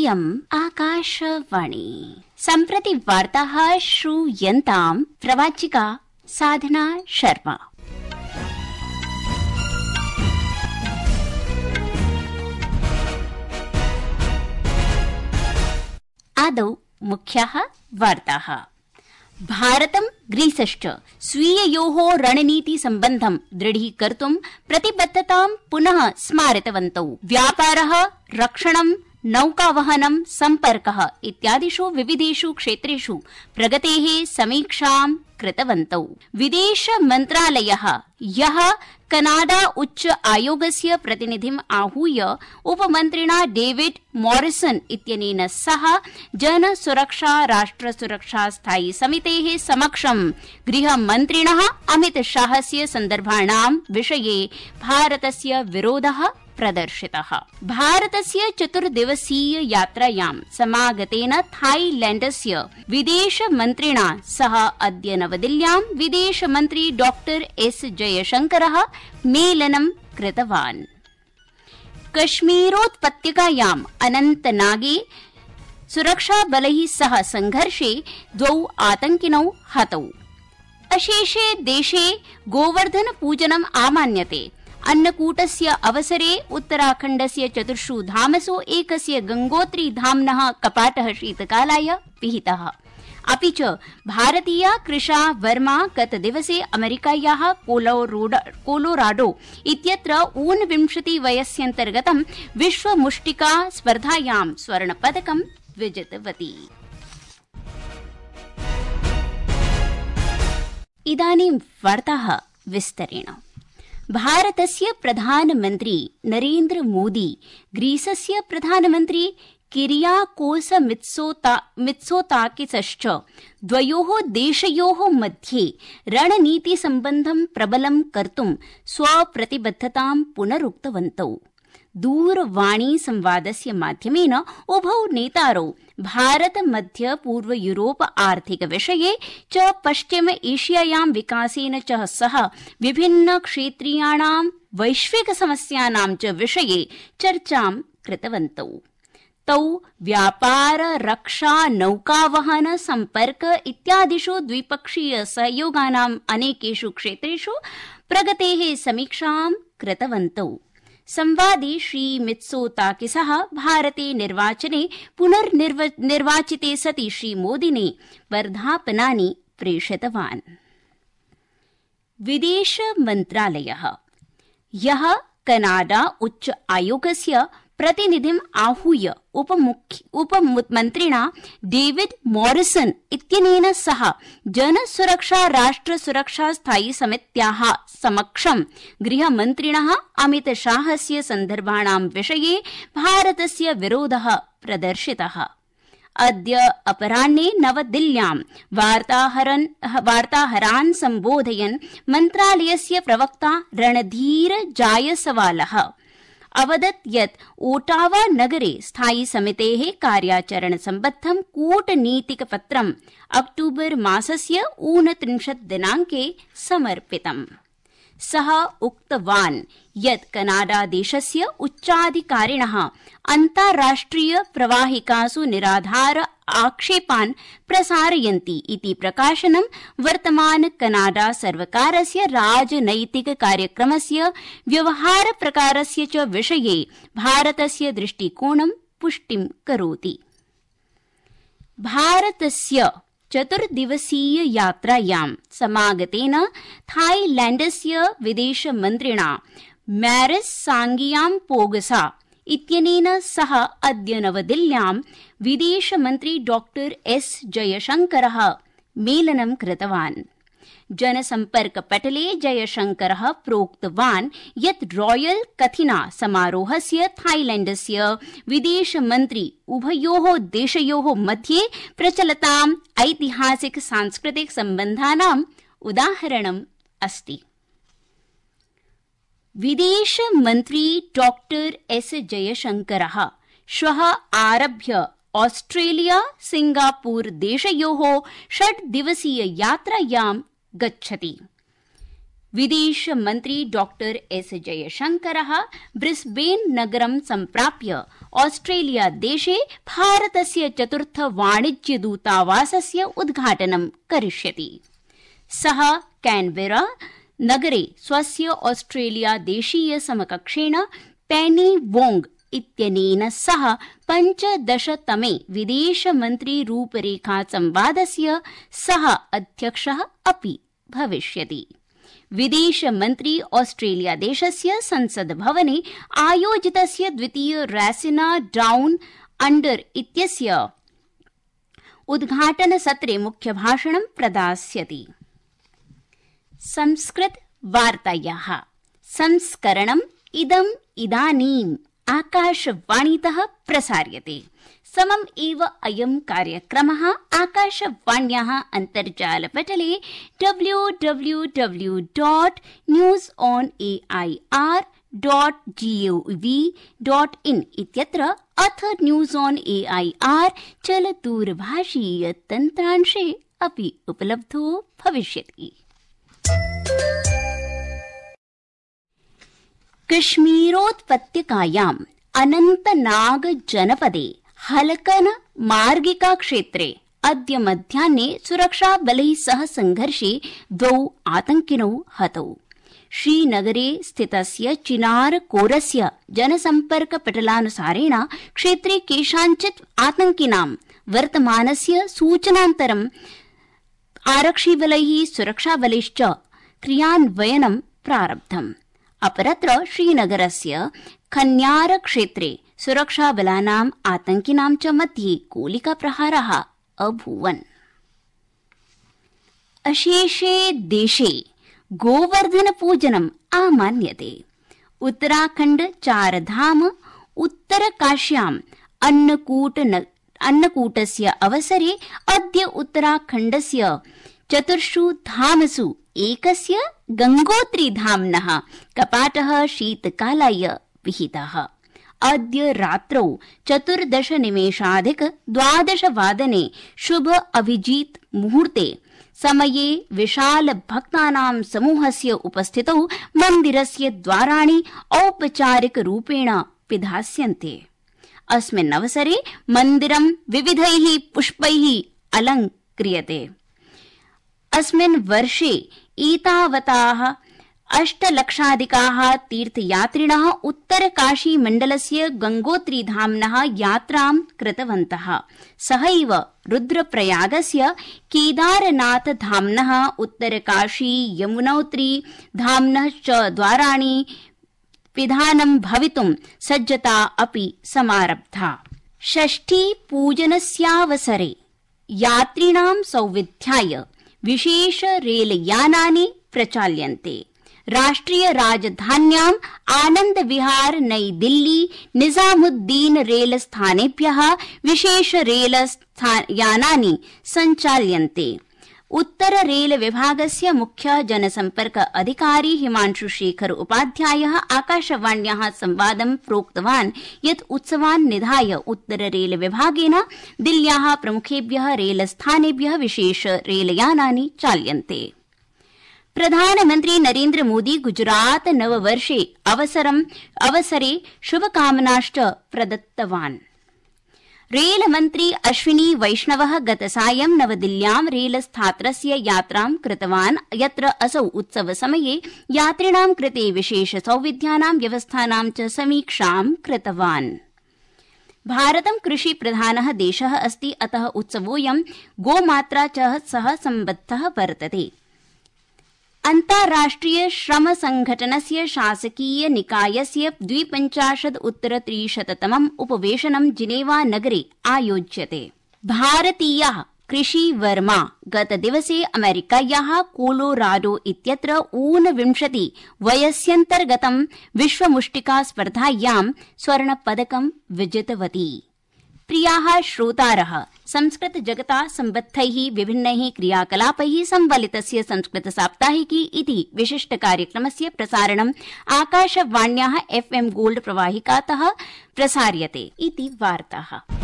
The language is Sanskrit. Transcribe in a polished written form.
इयम् आकाशवाणी। सम्प्रति वार्ताः श्रूयन्ताम् प्रवाचिका साधना शर्मा। आदौ मुख्याः वार्ताः। भारतं ग्रीसश्च स्वीययोः रणनीति सम्बन्धं दृढीकर्तुं प्रतिबद्धतां पुनः स्मारितवन्तौ। व्यापारः, रक्षणं, नौकावहनं, सम्पर्कः इत्यादिषु विविधेषु क्षेत्रेषु प्रगतेः समीक्षां कृतवन्तौ। विदेश मन्त्रालयः ह्यः कनाडा उच्च आयोगस्य प्रतिनिधिम् आहूय उपमन्त्रिणा डेविड मॉरिसन इत्यनेन सह जनसुरक्षा राष्ट्रसुरक्षा स्थायी समितेः समक्षं गृहमन्त्रिणः अमितशाहस्य सन्दर्भाणां विषये भारतस्य विरोधः प्रदर्शितः। भारतस्य 4 दिवसीय यात्रायां समागतेन थाईलैण्डस्य विदेशमन्त्रिणा सह अद्य नवदिल्ल्यां विदेशमन्त्री डॉक्टर एस जयशंकरः मेलनं कृतवान्। कश्मीरोत्पत्यकायाम् अनन्तनागे सुरक्षाबलैः सह संघर्षे 2 आतंकिनौ हतौ। अशेषे देशे गोवर्धन पूजनम् आमान्यते। अन्नकूटस्य अवसरे उत्तराखण्डस्य 4 धामसु एकस्य गंगोत्री धाम्नः कपाटः शीतकालाय पिहितः। अपि च भारतीया कृषा वर्मा गतदिवसे अमेरिकायाः कोलोराडो इत्यत्र 29 वयस्यन्तर्गतं विश्वमुष्टिका स्पर्धायां स्वर्णपदकं विजितवती। इदानीं वार्ताः विस्तरेण। भारतस्य प्रधानमन्त्री नरेन्द्र मोदी ग्रीसस्य प्रधानमन्त्री किरियाकोस मित्सोताकिसश्च द्वयोः देशयोः मध्ये रणनीतिसम्बन्धं प्रबलं कर्तुं स्वप्रतिबद्धतां पुनरुक्तवन्तौ। दूरवाणी संवादस्य माध्यमेन उभौ नेतारौ भारत मध्य पूर्व यूरोप आर्थिक विषये च पश्चिम एशियायां विकासेन च सह विभिन्न क्षेत्रीयाणां वैश्विक समस्यानां च विषये चर्चां कृतवन्तौ। तौ व्यापार, रक्षा, नौकावहन, सम्पर्क इत्यादिषु द्विपक्षीय सहयोगानाम् अनेकेषु क्षेत्रेषु प्रगतेः समीक्षां कृतवन्तौ। संवादे श्री मित्सोताकिसः भारते निर्वाचने पुनर्निर्वाचिते सति श्री मोदिने वर्धापनानि प्रेषितवान्। विदेश मन्त्रालयः ह्यः कनाडा उच्च आयोगस्य प्रतिनिधिम् आहूय उपमन्त्रिणा डेविड मॉरिसन इत्यनेन सह जनसुरक्षा राष्ट्रसुरक्षा स्थायी समित्याः समक्षं गृहमन्त्रिणः अमितशाहस्य सन्दर्भाणां विषये भारतस्य विरोधः प्रदर्शितः। अद्य अपराह्ने नवदिल्ल्यां वार्ताहरान् सम्बोधयन् मन्त्रालयस्य प्रवक्ता रणधीर जायसवालः अवदत् यत् ओटावा नगरे स्थायी समितेः कार्याचरण सम्बद्धं कूटनीतिकपत्रम् अक्टूबर मासस्य 29 दिनाङ्के समर्पितम्। सः उक्तवान् यत् कनाडा देशस्य उच्चाधिकारिणः अन्ताराष्ट्रिय प्रवाहिकासु निराधार आक्षेपान् प्रसारयन्ति इति प्रकाशनं वर्तमान कनाडा सर्वकारस्य राजनैतिक कार्यक्रमस्य व्यवहार प्रकारस्य च विषये भारतस्य दृष्टिकोणं पुष्टिं करोति। भारतस्य 4 दिवसीय यात्रायां समागतेन थाईलैण्डस्य विदेशमन्त्रिणा मैरिस सांगियाम्पोगसा इत्यनेन सह अद्य नवदिल्ल्यां विदेशमन्त्री डॉक्टर एस जयशंकरः मेलनं कृतवान्। जनसम्पर्कपटले जयशंकरः प्रोक्तवान् यत् रॉयल कथिना समारोहस्य थाईलैण्डस्य विदेशमन्त्री उभयोः देशयोः मध्ये प्रचलताम् ऐतिहासिक सांस्कृतिक सम्बन्धानाम् उदाहरणम् अस्ति। विदेशमन्त्री डॉक्टर एस जयशंकरः श्वः आरभ्य ऑस्ट्रेलिया सिंगापुर देशयोः 6 दिवसीय यात्रायां गच्छति। विदेश मन्त्री डॉक्टर एस जयशंकरः ब्रिस्बेन नगरं सम्प्राप्य ऑस्ट्रेलिया देशे भारतस्य चतुर्थ वाणिज्य दूतावासस्य उद्घाटनं करिष्यति। सः कैनबेरा नगरे स्वस्य ऑस्ट्रेलिया देशीय समकक्षेण पेनी वोंग इत्यनेन सह 15तमे विदेशमन्त्री रूपरेखा संवादस्य सः अध्यक्षः अपि भविष्यति। विदेशमन्त्री ऑस्ट्रेलिया देशस्य संसद भवने आयोजितस्य द्वितीय रैसिना डाउन अंडर इत्यस्य उद्घाटन सत्रे मुख्यभाषणं प्रदास्यति। संस्कृत वार्तायाः संस्करणम् इदानीम् आकाशवाणीतः प्रसार्यते। समम् एव अयं कार्यक्रमः आकाशवाण्याः अन्तर्जालपटले www.newsonair.gov.in इत्यत्र अथ न्यूज़ ऑन एआईआर चलदूरभाषीय तन्त्रांशे अपि उपलब्धो भविष्यति। कश्मीरोत्पत्यकायाम् अनन्तनाग जनपदे हलकन मार्गिका क्षेत्रे अद्य मध्याह्ने सुरक्षाबलैः सह संघर्षे 2 आतंकिनौ हतौ। श्रीनगरे स्थितस्य चिनार कोरस्य जनसम्पर्कपटलानुसारेण क्षेत्रे केषाञ्चित् आतंकिनां वर्तमानस्य सूचनान्तरम् आरक्षिबलैः सुरक्षाबलैश्च क्रियान्वयनं प्रारब्धम्। अपरत्र श्रीनगरस्य खन्यार क्षेत्रे सुरक्षाबलानाम् आतंकिनां च मध्ये गोलिकाप्रहाराः अभूवन्। अशेषे देशे गोवर्धन पूजनम् आमान्यते। उत्तराखण्ड चारधाम उत्तरकाश्याम् अन्नकूटस्य अवसरे अद्य उत्तराखण्डस्य 4 धामसु एकस्य गंगोत्री धाम्नः कपाटः शीतकालाय विहितः। अद्य रात्रौ 14:12 शुभ अभिजीत मुहूर्ते समये विशाल भक्तानां समूहस्य उपस्थितौ मन्दिरस्य द्वाराणि औपचारिक रूपेण पिधास्यन्ते। अस्मिन् अवसरे मन्दिरं विविधैः पुष्पैः अलङ्क्रियते। अस्मिन् वर्षे एतावताः 8 लक्षाधिकाः तीर्थयात्रिणः उत्तरकाशी मण्डलस्य गंगोत्रीधाम्नः यात्रां कृतवन्तः। सहैव रुद्रप्रयागस्य केदारनाथ धाम्नः उत्तरकाशी यमुनोत्री धाम्नः च द्वाराणि पिधानं भवितुं सज्जता अपि समारब्धा। षष्ठी पूजनस्यावसरे यात्रिणां सौविध्याय विशेष रेलयानानि प्रचाल्यन्ते। राष्ट्रिय राजधान्याम् आनंद विहार नई दिल्ली निजामुद्दीन रेल स्थानेभ्यः विशेष रेल यानानि सञ्चाल्यन्ते। उत्तर रेल विभागस्य मुख्य जनसम्पर्क अधिकारी हिमांशु शेखर उपाध्यायः आकाशवाण्याः संवादं प्रोक्तवान् यत् उत्सवान् निधाय उत्तर रेल विभागेन दिल्ल्याः प्रमुखेभ्यः रेलस्थानेभ्यः विशेष रेलयानानि चाल्यन्ते। प्रधानमन्त्री नरेन्द्र मोदी गुजरात नववर्षे अवसरे शुभकामनाश्च प्रदत्तवान्। रेलमन्त्री अश्विनी वैष्णवः गतसायं नवदिल्ल्यां रेलस्थात्रस्य यात्रां कृतवान्, यत्र असौ उत्सवसमये यात्रिणां कृते विशेष सौविध्यानां व्यवस्थानां च समीक्षां कृतवान्। भारतं कृषिप्रधानः देशः अस्ति, अतः उत्सवोऽयं गोमात्रा च सह सम्बद्धः वर्तते। अन्ताराष्ट्रिय श्रम संघटनस्य शासकीय निकायस्य 52 उपवेशनं जिनेवा नगरे आयोज्यते। भारतीयः कृषिवर्मा गतदिवसे अमेरिकायाः कोलोराडो इत्यत्र 29 वयस्यन्तर्गतं विश्वमुष्टिका स्पर्धायां स्वर्णपदकं विजितवती। प्रियाः श्रोतारः, संस्कृत जगता सम्बद्धैः विभिन्नैः क्रियाकलापैः संवलितस्य संस्कृत साप्ताहिकी इति विशिष्ट कार्यक्रमस्य प्रसारणम् आकाशवाण्याः FM गोल्ड प्रवाहिकातः प्रसार्यते इति वार्ताः।